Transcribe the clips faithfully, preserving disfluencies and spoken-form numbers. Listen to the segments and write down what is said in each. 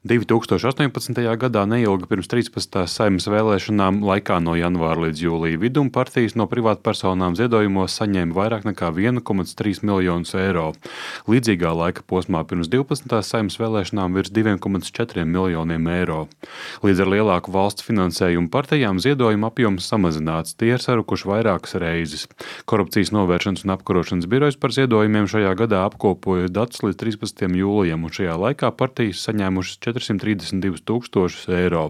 divtūkstoši astoņpadsmitajā gadā neilgi pirms trīspadsmitās Saeimas vēlēšanām laikā no janvāra līdz jūlija vidum partijas no privātpersonām ziedojumos saņēma vairāk nekā viens komats trīs miljonus eiro. Līdzīgā laika posmā pirms divpadsmitās Saeimas vēlēšanām virs divi komats četri miljoniem eiro. Līdz ar lielāku valsts finansējumu partijām ziedojuma apjoms samazināts, tie ir sarukuši vairākas reizes. Korupcijas novēršanas un apkarošanas birojs par ziedojumiem šajā gadā apkopoja datus līdz trīspadsmitajam jūlijam, un šajā laikā partijas saņēmušas četrsimt trīsdesmit divus tūkstošus eiro.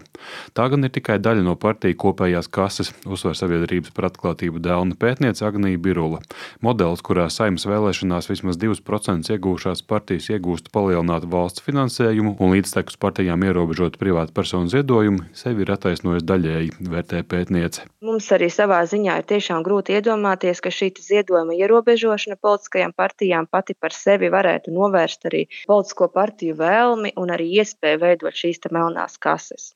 Tā gan ir tikai daļa no partiju kopējās kases, uzsver Sabiedrības par atklātību Delna pētniece Agnija Birule. Modelis, kurā Saeimas vēlēšanās vismaz divus procentus iegūšās partijas iegūst palielinātu valsts finansējumu un līdztekus partijām ierobežot privātu personu ziedojumu, sevi ir attaisnojis daļēji, vērtē pētniece. Mums arī savā ziņā ir tiešām grūti iedomāties, ka šī ziedojuma ierobežošana politiskajām partijām pati par sevi varētu novērst arī politisko partiju vēlmi un arī iespēju veidot šīs te melnās kases.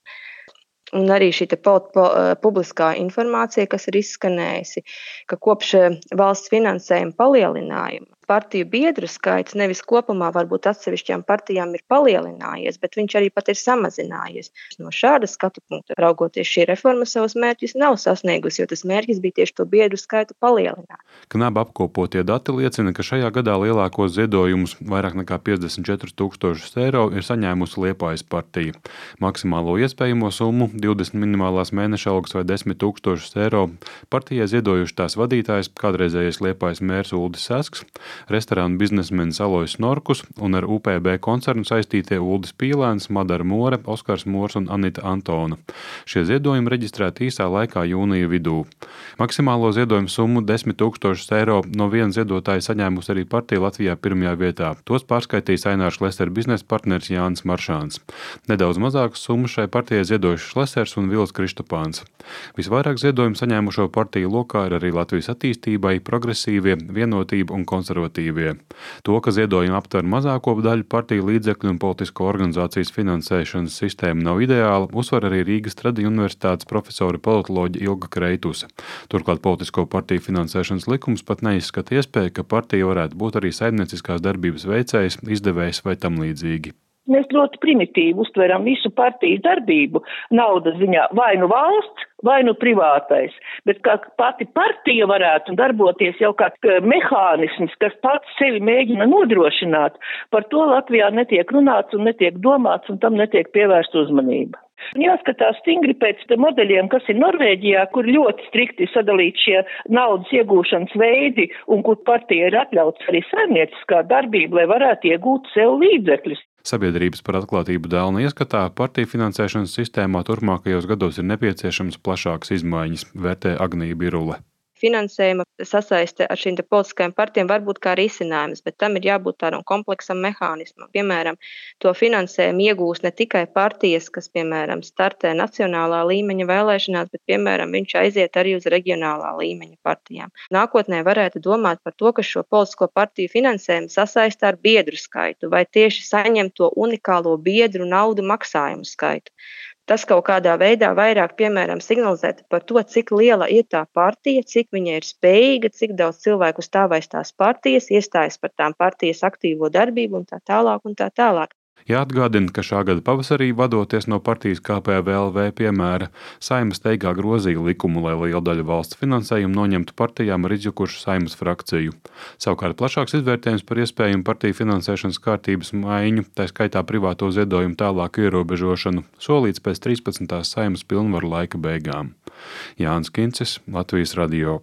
Un arī šī te po, po, publiskā informācija, kas ir izskanējusi, ka kopš valsts finansējuma palielinājuma partiju biedru skaits nevis kopumā varbūt atsevišķām partijām ir palielinājies, bet viņš arī pat ir samazinājies. No šāda skatu punkta raugoties, šī reforma savus mērķus nav sasniegusi, jo tas mērķis bija tieši to biedru skaitu palielināt. Knaba apkopotie dati liecina, ka šajā gadā lielākos ziedojumus, vairāk nekā piecdesmit četrus tūkstošus eiro, ir saņēmusi Liepājas partija. Maksimālo iespējamo summu, divdesmit minimālās mēneša algas vai desmit tūkstošus eiro, partijai ziedojuši tās vadītājs, kādreizējais Liepājas mērs Uldis Sasks, restorānu biznesmenis Alojs Norkus un ar U P B koncernu saistītie Uldis Pīlēns, Madara More, Oskars Mors un Anita Antona. Šie ziedojumi reģistrēti īsā laikā jūnija vidū. Maksimālo ziedojumu summu desmit tūkstošus eiro no viena ziedotāja saņēmusi arī partija Latvijā pirmajā vietā. Tos pārskaitīs Ainārs Lesera biznesa partneris Jānis Maršāns. Nedaudz mazākas summas šai partijai ziedojuši Lesers un Vils Kristopāns. Visvairāk ziedojumu saņēmušo partiju lokā ir arī Latvijas attīstībai, progresīvie, vienotība un konservatīvie. To, ka ziedojumi aptver mazāko daļu partiju līdzekļu un politisko organizācijas finansēšanas sistēma nav ideāla, uzsver arī Rīgas Tradiņu universitātes profesora politoloģe Ilga Kreituse. Turklāt politisko partiju finansēšanas likums pat neizskata iespēju, ka partija varētu būt arī saimnieciskās darbības veicējs, izdevējs vai tam līdzīgi. Mēs ļoti primitīvi uztveram visu partiju darbību naudas ziņā, vai nu valsts, vai nu privātais, bet kā pati partija varētu darboties jau kā mehānisms, kas pats sevi mēģina nodrošināt, par to Latvijā netiek runāts un netiek domāts un tam netiek pievērsta uzmanība. Jāskatās stingri pēc modeļiem, kas ir Norvēģijā, kur ļoti strikti sadalīt šie naudas iegūšanas veidi un kur partija ir atļauts arī saimnieciskā darbība, lai varētu iegūt sev līdzekļus. Sabiedrības par atklātību Delna ieskatā partiju finansēšanas sistēmā turpmākajos gados ir nepieciešams plašākas izmaiņas, vērtē Agnija Birule. Finansējuma sasaiste ar šīm politiskajām partijām var būt kā risinājums, bet tam ir jābūt tādam kompleksam mehānismam. Piemēram, to finansējumu iegūs ne tikai partijas, kas, piemēram, startē nacionālā līmeņa vēlēšanās, bet, piemēram, viņš aiziet arī uz reģionālā līmeņa partijām. Nākotnē varētu domāt par to, ka šo politisko partiju finansējumu sasaista ar biedru skaitu vai tieši saņem to unikālo biedru naudu maksājumu skaitu. Tas kaut kādā veidā vairāk, piemēram, signalizētu par to, cik liela ir tā partija, cik viņa ir spējīga, cik daudz cilvēku stāv aiz tās partijas, iestājas par tām partijas aktīvo darbību un tā tālāk un tā tālāk. Jāatgādina, ka šā gada pavasarī, vadoties no partijas K P V L V piemēra, Saeima steigā grozīja likumu, lai lielu daļu valsts finansējumu noņemtu partijām ar izjukušu Saeimas frakciju. Savukārt plašāks izvērtējums par iespējumu partiju finansēšanas kārtības maiņu, tā skaitā privāto ziedojumu tālāku ierobežošanu, solīts pēc trīspadsmitās Saeimas pilnvaru laika beigām. Jānis Kincis, Latvijas radio.